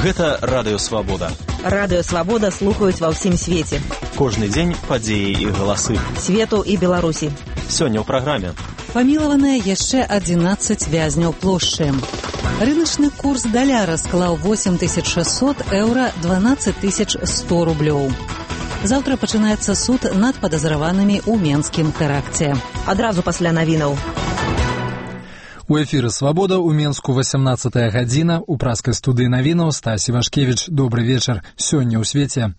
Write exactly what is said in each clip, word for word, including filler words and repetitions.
Гэта Радыё Свабода. Радыё Свабода слухаюць ва ўсім свеце. Кожны дзень падзеі і галасы. Свету і Беларусі. Сёння ў праграме. Памілаваныя яшчэ адзінаццаць вязняў плошчы. Рыначны курс даляра склаў восемь тысяч шэсцьсот еўра, дванаццаць тысяч сто рублёў. Заўтра пачынаецца суд над падазраванымі ў менскім тэракце. Адразу пасля навінаў. У эфіры «Свабода» у Менску васямнаццатая гадзіна. У праскай студыі навінаў Стась Івашкевіч. Добры вечар. Сёння ў свеце.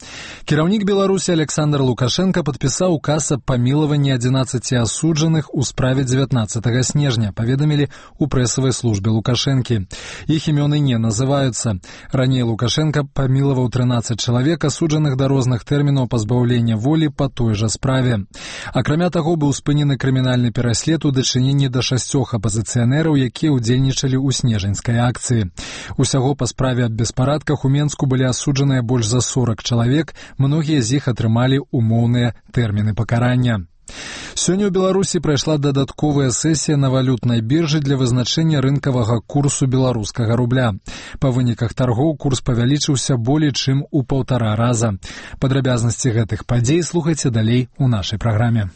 Кіраўнік Беларусі Александр Лукашенко падпісаў указ аб памілаванні адзінаццаці асуджаных у справе дзевятнаццатага снежня, паведамілі ў прэсавай службе Лукашэнкі. Іх імёны не называюцца. Раней Лукашенко памілаваў трынаццаць чалавек, асуджаных да розных тэрмінаў пазбаўлення волі па той жа справе. Акрамя таго, быў спынены крымінальны пераслед у дачыненні да шасцёх апазіцыянераў, якія ўдзельнічалі ў снежаньскай акцыі. Усяго па справе аб беспарадках у Менску былі асуджаныя больш за сорак чалавек, многія з іх атрымалі умоўныя тэрміны пакарання. Сёння ў Беларусі прайшла дадатковая сесія на валютнай біржы для вызначэння рынкавага курсу беларускага рубля. Па выніках таргоў курс павялічыўся болей чым у паўтара раза. Падрабязнасці гэтых падзей слухайце далей у нашай праграме.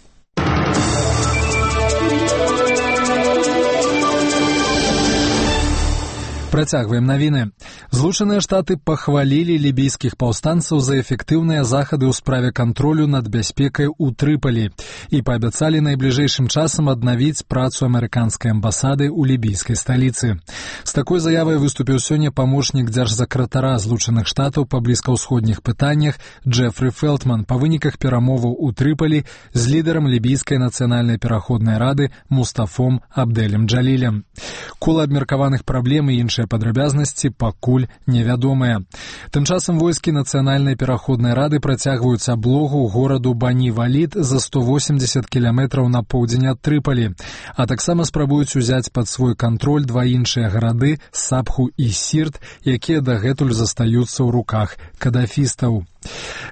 Працягваем навіны. Злучаныя Штаты пахвалілі лібійскіх паўстанцаў за эфектыўныя захады ў справе кантролю над бяспекай у Трыпалі і паабяцалі найбліжэйшым часам аднавіць працу амерыканскай амбасады ў лібійскай сталіцы. З такой заявай выступіў сёння памочнік дзяржсакратара Злучаных Штатаў па блізкаўсходніх пытаннях Джефры Фелтман па выніках перамоваў у Трыпалі з лідарам лібійскай нацыянальнай пераходнай рады Мустафом Абдэлем Джалілем. Кола абмеркаваных праблем і іншых падрабязнасці пакуль невядомыя. Тым часам войскі нацыянальнай пераходнай рады працягваюць аблогу гораду Бані-Валід за сто восемьдесят кіламетраў на поўдзень ад Трыпалі, а таксама спрабуюць узяць пад свой кантроль два іншыя гарады Сабху і Сірт, якія дагэтуль застаюцца ў руках кадафістаў.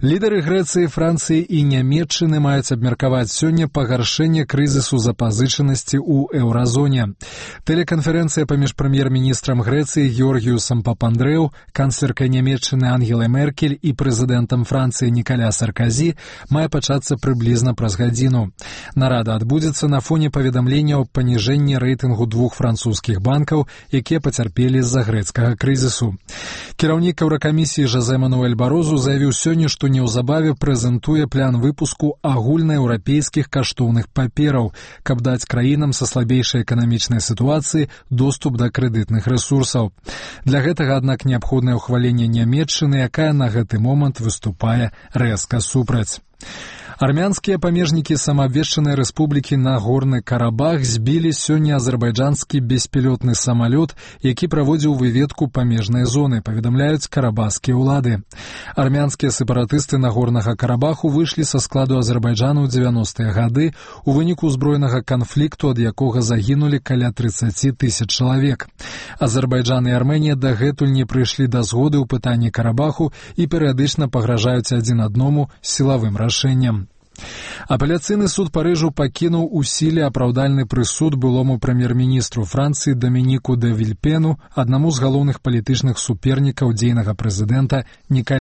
Лідары Грэцыі, Францыі і Нямецчыны маюць абмеркаваць сёння пагаршэнне крызісу запазычанасці ў еўразоне. Тэлеканферэнцыя паміж прэм'ер-міністрам Грэцыі Георгіюсам Папандрэу, канцлеркай Нямецчыны Ангелай Меркель і прэзідэнтам Францыі Нікаля Сарказі мае пачацца прыблізна праз гадзіну. Нарада адбудзецца на фоне паведамлення аб паніжэнні рэйтынгу двух французскіх банкаў, якія пацярпелі з-за грэцкага крызісу. Кіраўнік Еўракамісіі Жозе Мануэль Барозу заявіў сёння, што неўзабаве прэзентуе план выпуску агульнаеўрапейскіх каштоўных папераў, каб даць краінам са слабейшай эканамічнай сітуацыі доступ да крэдытных рэсурсаў. Для гэтага, аднак, неабходнае ўхваленне Нямецчыны, якая на гэты момант выступае рэзка супраць. Армянскія памежнікі самаабвешчанай рэспублікі Нагорны Карабах збілі сёння азербайджанскі беспілотны самалёт, які праводзіў выведку памежнай зоны, паведамляюць карабахскія ўлады. Армянскія сепаратысты Нагорнага Карабаху выйшлі са складу Азербайджану ў дзевяностыя гады у выніку ўзброенага канфлікту, ад якога загінулі каля трыццаць тысяч чалавек. Азербайджан і Армэнія дагэтуль не прыйшлі да згоды ў пытанні Карабаху і перыядычна пагражаюць адзін аднаму сілавым рашэннем. Апеляцыйны суд Парыжу пакінуў у сіле апраўдальны прысуд былому прэм'ер-міністру Францыі Дамініку дэ Вільпену, аднаму з галоўных палітычных супернікаў дзейнага прэзідэнта Нікаля